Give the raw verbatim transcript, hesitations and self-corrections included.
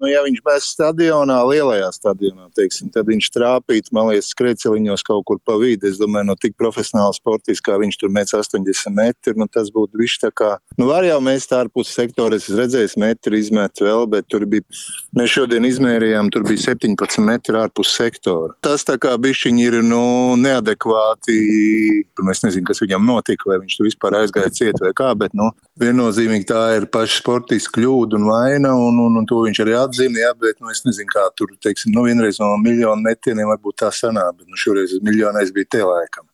Nu, ja viņš bez stadionā, lielajā stadionā, teiksim, tad viņš trāpītu, man liekas, skrejceliņos kaut kur pa vidi. Es domāju, no tik profesionāla sportista, kā viņš tur mēdz astoņdesmit metri, nu tas būtu viss tā kā, nu var jau mēs tā ārpus sektora, es redzēju, metri izmet vēl, bet tur bija, mēs šodien izmērījām, tur bija septiņpadsmit metri ārpus sektora. Tas tā kā bišķiņi ir, nu, neadekvāti, es nezinu, kas viņam notika, vai viņš tur vispār aizgāja ciet vai kā, bet, nu, viennozīmīgi tā ir paša sportista kļūda un vaina, un, un, un to viņš arī atzina, jā, bet, nu, es nezinu, kā tur, teiksim, nu, vienreiz no miljonu metieniem varbūt tā sanāk, bet, nu, šoreiz miljonais bija tie laikam.